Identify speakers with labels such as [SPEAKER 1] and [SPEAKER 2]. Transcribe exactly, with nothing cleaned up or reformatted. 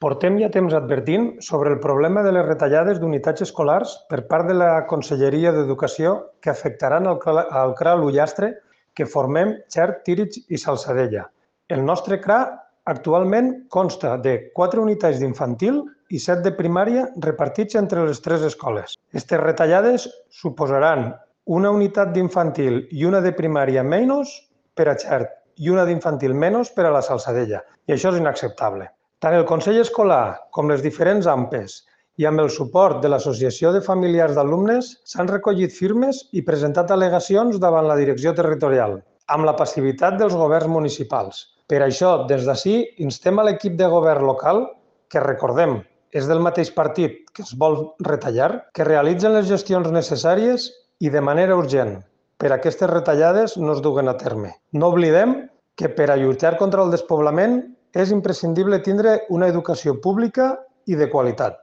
[SPEAKER 1] Portem ja temps advertint sobre el problema de les retallades d'unitats escolars per part de la Conselleria d'Educació que afectaran el C R A l'Ullastre que formem Xert, Tírig i Salsadella. El nostre C R A actualment consta de quatre unitats d'infantil i set de primària repartits entre les tres escoles. Aquestes retallades suposaran una unitat d'infantil i una de primària menys per a Xert i una d'infantil menys per a la Salsadella, i això és inacceptable. Tant el Consell Escolar com les diferents A M P Es i amb el suport de l'Associació de Familiars d'Alumnes s'han recollit firmes i presentat al·legacions davant la direcció territorial, amb la passivitat dels governs municipals. Per això, des d'ací, instem a l'equip de govern local, que recordem, és del mateix partit que es vol retallar, que realitzen les gestions necessàries i de manera urgent per a aquestes retallades no es duguen a terme. No oblidem que per a lluitar contra el despoblament és imprescindible tindre una educació pública i de qualitat.